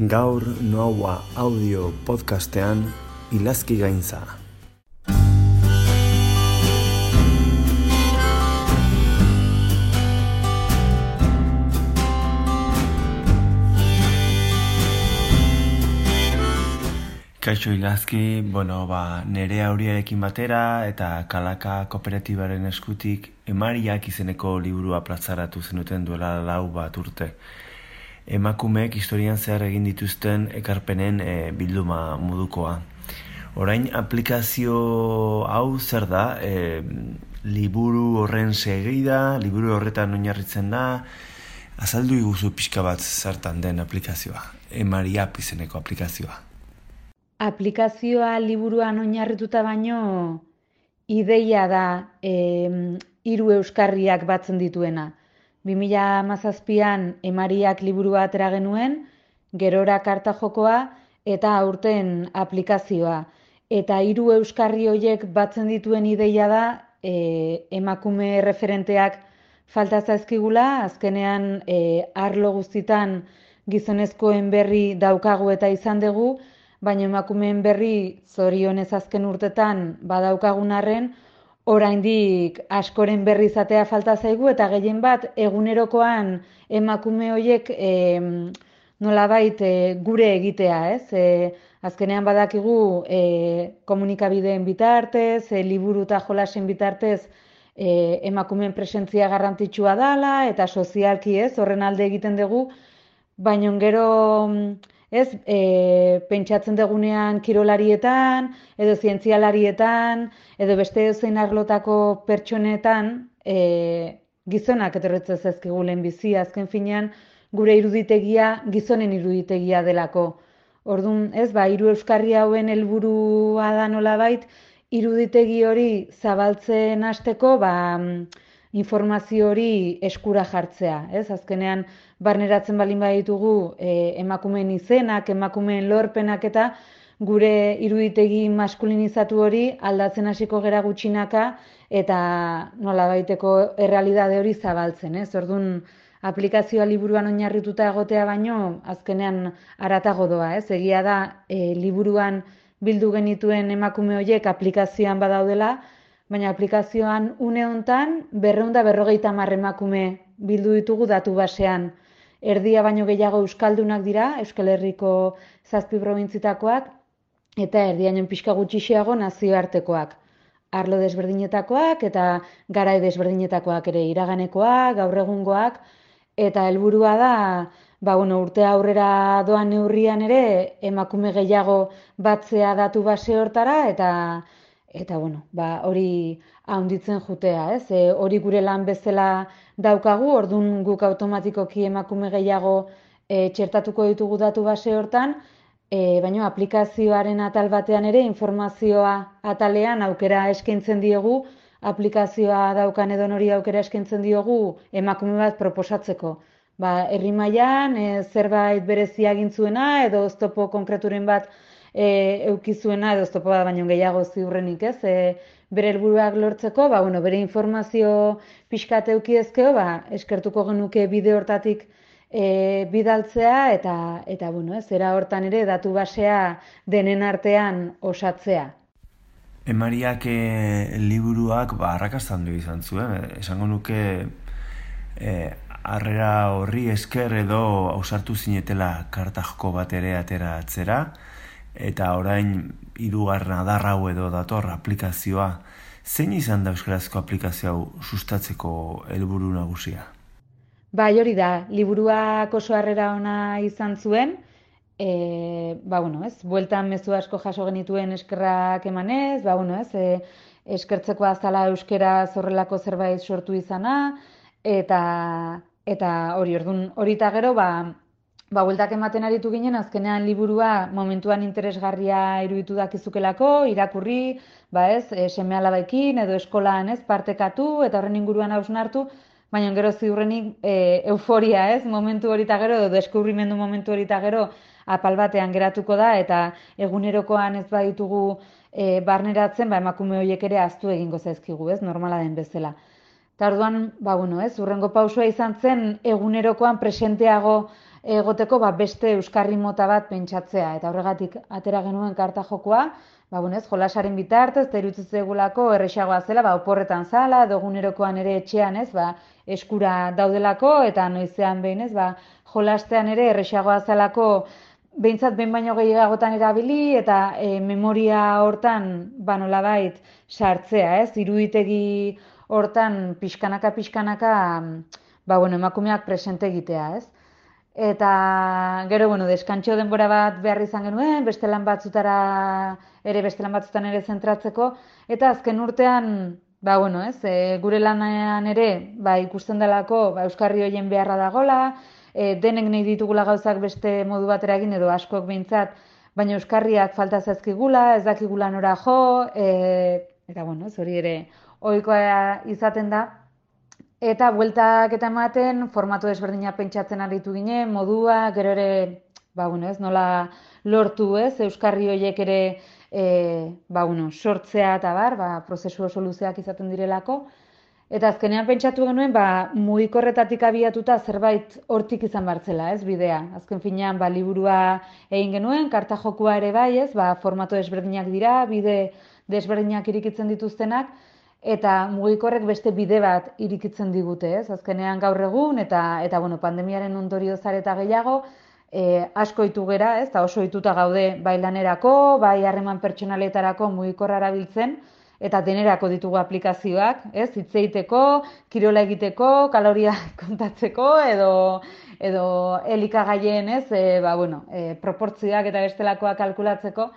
Gaur Noaua audio podcastean Ilazki gaintza. Kaixo Ilazki, nere auriarekin batera eta Kalaka kooperatibaren eskutik Emariak izeneko liburua plazaratu zenuten duela 4 urte. Emakumeek historian zehar egin dituzten ekarpenen bilduma modukoa. Orain aplikazio hau zer da? Liburu horren segida, liburu horretan oinarritzen da, azaldu iguzu pixka bat zertan den aplikazioa, Emariak izeneko aplikazioa. Aplikazioa liburuan oinarrituta baino, ideia da 3 euskarriak batzen dituena. 2017an Emariak liburua atera genuen, gerora karta jokoa eta aurten aplikazioa. Eta 3 euskarri horiek batzen dituen ideia da emakume referenteak falta zaizkigula, azkenean arlo guztitan gizonezkoen berri daukagu eta izan dugu, baina emakumeen berri zorionez azken urtetan badaukagun arren, oraindik askoren berri izatea falta zaigu eta gehien bat egunerokoan emakume horiek nolabait gure egitea, ez? Azkenean badakigu komunikabideen bitartez, liburu eta jolasen bitartez emakumeen presentzia garrantzitsua dela eta sozialki ez, horren alde egiten dugu, baina gero pentsatzen dugunean kirolarietan, edo zientzialarietan, edo beste zein arlotako pertsonetan gizonak etorritzen zaizkigu lehenbizi, azken finean gure iruditegia gizonen iruditegia delako. Orduan, 3 euskarri hauen helburua da nolabait, iruditegi hori zabaltzen hasteko, informazio hori eskura jartzea, ez? Azkenean barneratzen balin baditugu emakumeen izenak, emakumeen lorpenak eta gure iruditegi maskulinizatu hori aldatzen hasiko gera gutxinaka eta nolabaiteko errealitate hori zabaltzen, ez? Orduan, aplikazioa liburuan oinarrituta egotea baino azkenean haratago doa, ez? Egia da liburuan bildu genituen emakume horiek aplikazioan badaudela, baina aplikazioan une hontan 250 emakume bildu ditugu datu basean. Erdia baino gehiago euskaldunak dira, Euskal Herriko 7 probintzitakoak, eta erdiaino pixka gutxiago nazioartekoak. Arlo desberdinetakoak eta garai desberdinetakoak ere, iraganekoak, gaur egungoak, eta helburua da, urte aurrera doan neurrian ere emakume gehiago batzea datu base hortara eta hori handitzen jutea, ez? Hori gure lan bezala daukagu, orduan guk automatikoki emakume gehiago txertatuko ditugu datu base hortan, baina aplikazioaren atal batean ere informazioa atalean aukera eskaintzen diogu, aplikazioa daukan edonori aukera eskaintzen diogu emakume bat proposatzeko. Herri mailan zerbait berezia egin zuena edo oztopo konkreturen bat eukizuena edo oztopo bat baino gehiago ziurrenik, ez? Bere helburuak lortzeko, bere informazio pixkat euki ezkeo, eskertuko genuke bide hortatik bidaltzea eta era hortan ere datu basea denen artean osatzea. Emariak liburuak arrakasta handia izan zuen, esango nuke harrera horri esker edo ausartu zinetela kartajko bat ere atera atzera, eta orain 3. adar hau edo dator aplikazioa. Zein izan da euskarazko aplikazio hau sustatzeko helburu nagusia? Hori da, liburuak oso harrera ona izan zuen, bueltan mezu asko jaso genituen eskerrak emanez, eskertzekoa zala euskaraz horrelako zerbait sortu izana, eta hori eta gero, bueltak ematen aritu ginen, azkenean liburua momentuan interesgarria iruditu dakizukelako, irakurri, seme-alabekin edo eskolan partekatu eta horren inguruan hausnartu, baina gero ziurrenik euforia, momentu hori eta gero, edo deskubrimendu momentu hori eta gero, apal batean geratuko da, eta egunerokoan ez baditugu barneratzen, emakume horiek ere ahaztu egingo zaizkigu, normala den bezala. Eta orduan, hurrengo pausua izan zen egunerokoan presenteago egoteko beste euskarri mota bat pentsatzea. Eta horregatik atera genuen karta jokoa, jolasaren bitartez, eta iruditzen zaigulako errazagoa zela, oporretan zala, edo egunerokoan ere etxean, eskura daudelako, eta noizean behin, jolastean ere errazagoa zelako, behintzat behin baino gehiagotan erabili, eta memoria hortan, nolabait, sartzea, iruditegi hortan pixkanaka, emakumeak presente egitea, Eta gero, deskantxo denbora bat behar izan genuen, beste lan batzutan ere zentratzeko, eta azken urtean, gure lanean ere, ikusten delako, euskarri horien beharra dagola, denek nahi ditugula gauzak beste modu batera egin, edo askok behintzat, baina euskarriak falta zaizkigula, ez dakigula nora jo, eta hori ere ohikoa izaten da. Eta bueltak eta ematen, formatu desberdina pentsatzen aritu ginen, modua, gero ere, nola lortu, euskarri horiek ere, sortzea eta prozesu oso luzeak izaten direlako. Eta azkenean pentsatu genuen, mugikorretatik abiatuta zerbait hortik izan bartzela, bidea. Azken finean, liburua egin genuen, karta jokua ere formatu desberdinak dira, bide desberdinak irikitzen dituztenak, eta mugikorrek beste bide bat irikitzen digute, Azkenean gaur egun, eta pandemiaren ondorioz eta gehiago, asko ohitu gera, eta oso ohituta gaude bai lanerako, bai harreman pertsonaletarako mugikorra erabiltzen, eta denerako ditugu aplikazioak, hitz egiteko, kirola egiteko, kaloria kontatzeko, edo elikagaien, proportzioak eta bestelakoak kalkulatzeko,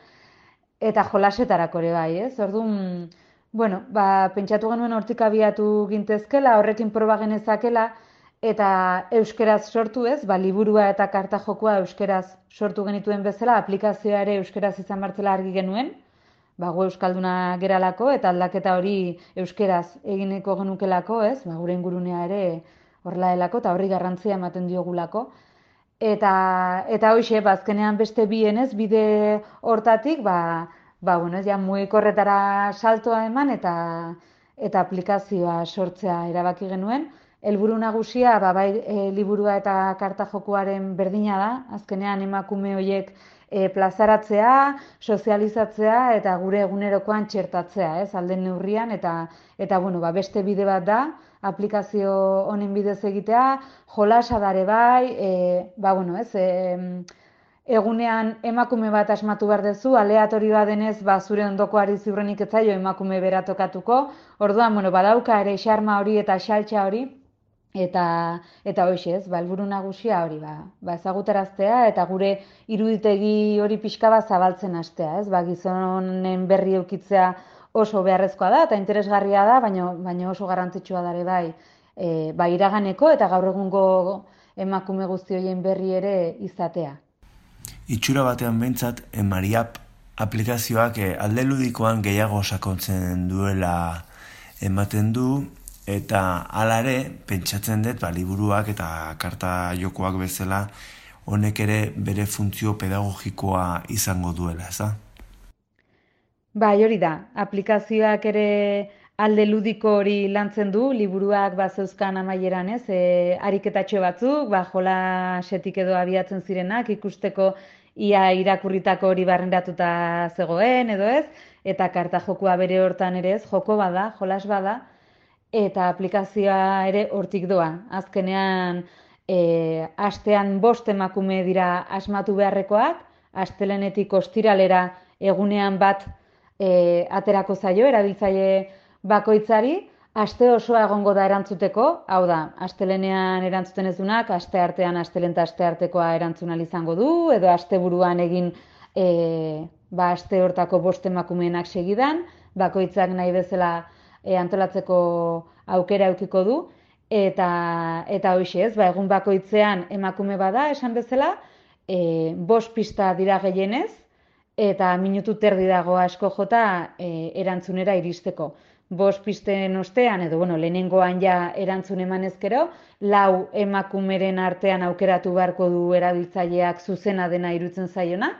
eta jolasetarako ere bai, Orduan, pentsatu genuen hortik abiatu gintezkela, horrekin proba genezakela, eta euskeraz sortu liburua eta karta jokoa euskeraz sortu genituen bezala, aplikazioa ere euskeraz izan bartzela argi genuen, gu euskalduna geralako, eta aldaketa hori euskeraz egineko genukelako, gure ingurunea ere horrela delako, eta horri garrantzia ematen diogulako. Eta hoxe, azkenean beste bienez, bide hortatik, mugikorretara saltoa eman eta aplikazioa sortzea erabaki genuen. Helburu nagusia, liburua eta karta jokoaren berdina da, azkenean emakume horiek plazaratzea, sozializatzea eta gure egunerokoan txertatzea, alden neurrian, eta beste bide bat da, aplikazio honen bidez egitea, jolasa dare egunean emakume bat asmatu behar dezu, aleatorioa denez, zure ondokoari ziurrenik ez zaio emakume bera tokatuko, orduan, badauka ere xarma hori eta xaltxa hori, eta hoxe, helburu nagusia hori, ezagutaraztea, eta gure iruditegi hori pixka bat zabaltzen hastea, gizonen berri eukitzea oso beharrezkoa da, eta interesgarria da, baina oso garrantzitsua dare iraganeko, eta gaur egungo emakume guzti horien berri ere izatea. Itxura batean behintzat, Mariap aplikazioak alde ludikoan gehiago sakontzen duela ematen du, eta hala ere, pentsatzen dut, liburuak eta karta jokoak bezala, honek ere bere funtzio pedagogikoa izango duela, eza? Hori da, aplikazioak ere alde ludiko hori lantzen du, liburuak zeuzkan amaieran, ariketatxo batzuk, jolasetik edo abiatzen zirenak, ikusteko ia irakurritako hori barrendatuta zegoen, edo eta karta jokua bere hortan ere joko bada, jolas bada, eta aplikazioa ere hortik doa. Azkenean, astean 5 emakume dira asmatu beharrekoak, astelehenetik ostiralera egunean bat aterako zaio, erabiltzaile bakoitzari, aste osoa egongo da erantzuteko, hau da, astelehenean erantzuten ez dunak, asteartean astelehen eta asteartekoa erantzun ahal izango du, edo asteburuan egin aste hortako 5 emakumeenak segidan, bakoitzak nahi bezala antolatzeko aukera edukiko du, eta hoxe egun bakoitzean emakume bada, esan bezala, 5 pista dira gehienez, eta minutu terdi dago asko jota erantzunera iristeko. 5 pisten ostean, edo lehenengoan ja erantzun eman ezkero, 4 emakumeren artean aukeratu beharko du erabiltzaileak zuzena dena irutzen zaiona,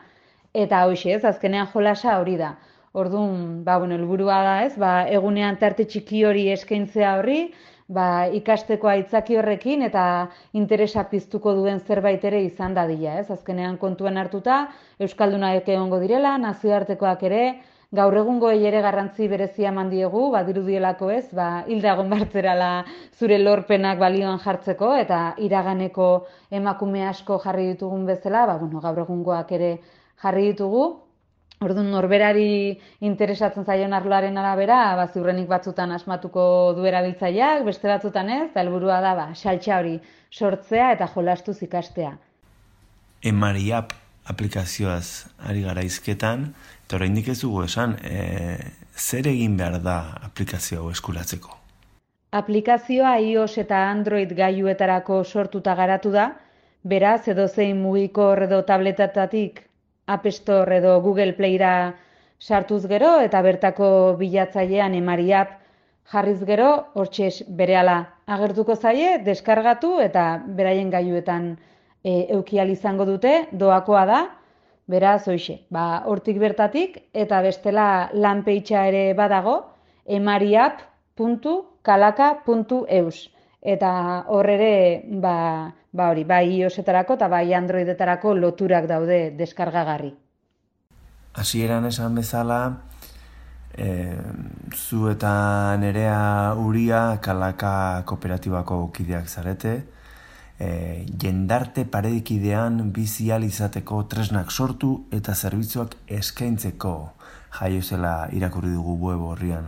eta hoxe azkenean jolasa hori da. Orduan, helburua da egunean tarte txiki hori eskaintzea horri, ikasteko aitzaki horrekin eta interesa piztuko duen zerbait ere izan dadila, ez? Azkenean kontuan hartuta, euskaldunak egongo direla, nazioartekoak ere, gaur egungoei ere garrantzi berezia eman diegu, badirudielako ez, hilda egon bartzerala zure lorpenak balioan jartzeko, eta iraganeko emakume asko jarri ditugun bezala, gaur egungoak ere jarri ditugu. Orduan, norberari interesatzen zaion arloaren arabera, ziurrenik batzutan asmatuko du erabiltzaileak, beste batzutan ez, eta helburua da saltsa hori sortzea eta jolastuz ikastea. Emariap aplikazioaz ari gara hizketan, eta oraindik ez dugu esan, zer egin behar da aplikazio hau eskuratzeko? Aplikazioa iOS eta Android gailuetarako sortuta garatu da, beraz edozein mugikor edo tabletetatik App Store edo Google Playra sartuz gero eta bertako bilatzailean Emariap jarriz gero, hortxe berehala agertuko zaie, deskargatu eta beraien gailuetan eduki ahal izango dute, doakoa da, beraz hoixe, hortik bertatik eta bestela lanpeitxa ere badago, emariap.kalaka.eus. Eta hor ere, hori, bai iOS-etarako eta bai Androidetarako loturak daude deskargagarri. Hasieran esan bezala, zu eta Nerea Uria Kalaka kooperatibako kideak zarete, jendarte paredikidean bizi ahal izateko tresnak sortu eta zerbitzuak eskaintzeko jaio zela irakurri dugu web horrian.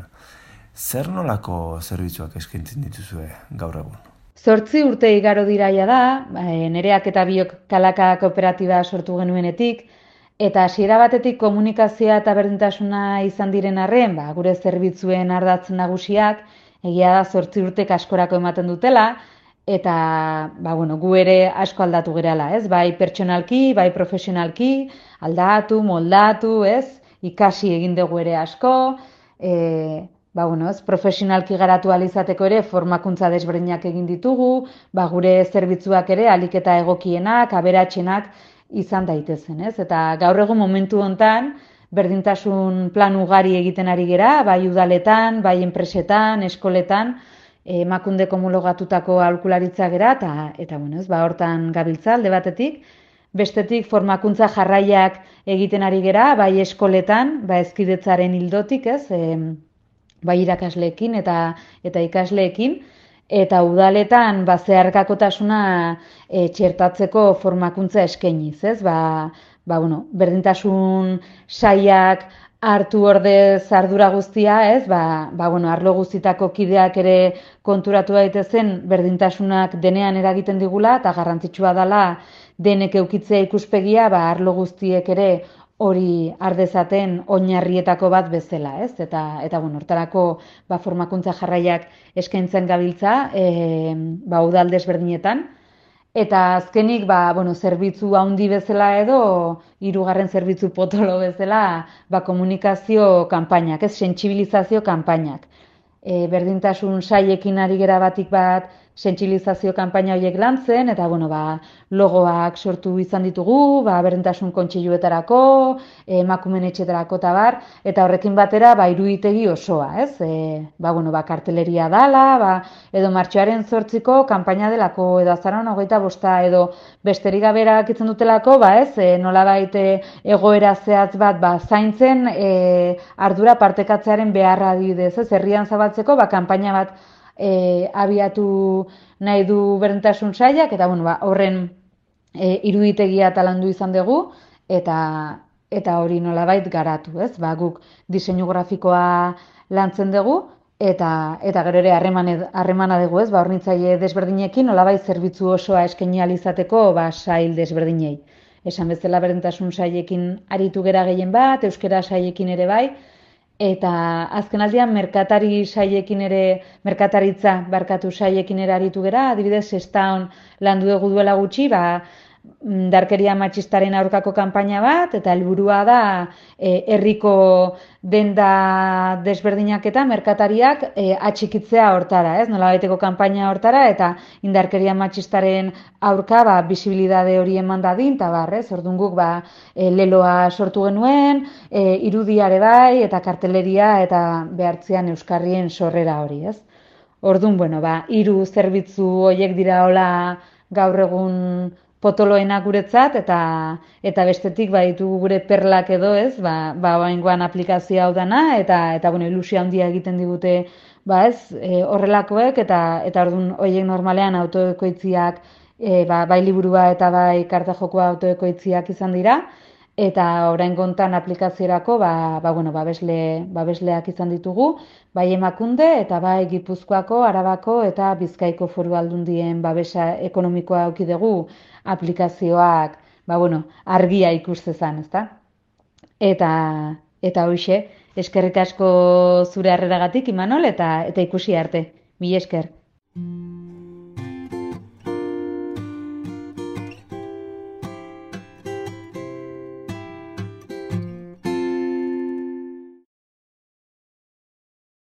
Zer nolako zerbitzuak eskaintzen dituzue gaur egun? 8 urte igaro diraia da, Nereak eta biok Kalaka kooperatiba sortu genuenetik, eta hasiera batetik komunikazioa eta berdintasuna izan diren arren, gure zerbitzuen ardatz nagusiak, egia da 8 urtek askorako ematen dutela, eta gu ere asko aldatu gerala, ez? Bai pertsonalki, bai profesionalki, aldatu, moldatu, ez? Ikasi egin dugu ere asko, profesionalki garatu ahal izateko ere formakuntza desberdinak egin ditugu, gure zerbitzuak ere ahalik eta egokienak, aberatsenak izan daitezen, ez? Eta gaur egun momentu hontan berdintasun plan ugari egiten ari gera, bai udaletan, bai enpresetan, eskoletan, emakundeko homologatutako aholkularitza gera eta hortan gabiltza alde batetik. Bestetik formakuntza jarraiak egiten ari gera, bai eskoletan, hezkidetzaren ildotik, ez? Bai irakasleekin eta ikasleekin, eta udaletan zeharkakotasuna txertatzeko formakuntza eskainiz, ez? Berdintasun sailak hartu ordez ardura guztia, ez? Arlo guztitako kideak ere konturatu daitezen berdintasunak denean eragiten digula eta garrantzitsua dela denek eukitzea ikuspegia, arlo guztiek ere hori ardezaten oinarrietako bat bezala, ez? Eta hortarako formakuntza jarraiak eskaintzen gabiltza, udal desberdinetan. Eta azkenik, zerbitzu handi bezala edo, 3. zerbitzu potolo bezala, komunikazio kanpainak, ez? Sentsibilizazio kanpainak. Berdintasun sailekin ari gera batik bat, sentsibilizazio kanpaina horiek lantzen, eta logoak sortu izan ditugu, berdintasun kontseiluetarako, emakumeen etxetarako eta horrekin batera iruditegi osoa, ez? Karteleria dala, edo martxoaren 8ko kanpaina delako, edo azaroan 25 edo besterik gabe erabakitzen dutelako, nolabait egoera zehatz bat zaintzen ardura partekatzearen beharra adibidez, ez? Herrian zabaltzeko kanpaina bat abiatu nahi du berdintasun sailak, eta horren iruditegia talandu izan dugu, eta hori nolabait garatu, ez? Guk diseinu grafikoa lantzen dugu, eta gero ere harremana dugu, ez? Hornitzaile desberdinekin nolabait zerbitzu osoa eskaini ahal izateko sail desberdinei. Esan bezala berdintasun sailekin aritu gera gehien bat, euskara sailekin ere bai, eta azken aldian merkataritza sailekin ere aritu gera, adibidez Sestaon landu dugu duela gutxi, indarkeria matxistaren aurkako kanpaina bat, eta helburua da herriko denda desberdinak eta merkatariak atxikitzea hortara, ez? Nolabaiteko kanpaina hortara, eta indarkeria matxistaren aurka bisibilidade hori eman dadin, eta orduan guk leloa sortu genuen, irudiare bai, eta karteleria, eta behartzean euskarrien sorrera hori, ez? Orduan, bueno, hiru zerbitzu horiek dira hola gaur egun potoloena guretzat, eta bestetik ditugu gure perlak edo ez, oraingoan aplikazio hau dana, eta bueno, ilusio handia egiten digute, ez, horrelakoek, eta orduan horiek normalean autoekoitziak, bai liburua eta bai karta jokoa autoekoitziak izan dira, eta orain kontan aplikaziorako bueno, babesleak izan ditugu, bai Emakunde eta bai Gipuzkoako, Arabako eta Bizkaiko Foru Aldundien babesa ekonomikoa eduki dugu aplikazioak, bueno, argia ikustezan, ezta? Eta hoxe, eskerrik asko zure harreragatik, Imanol, eta ikusi arte. Mila esker.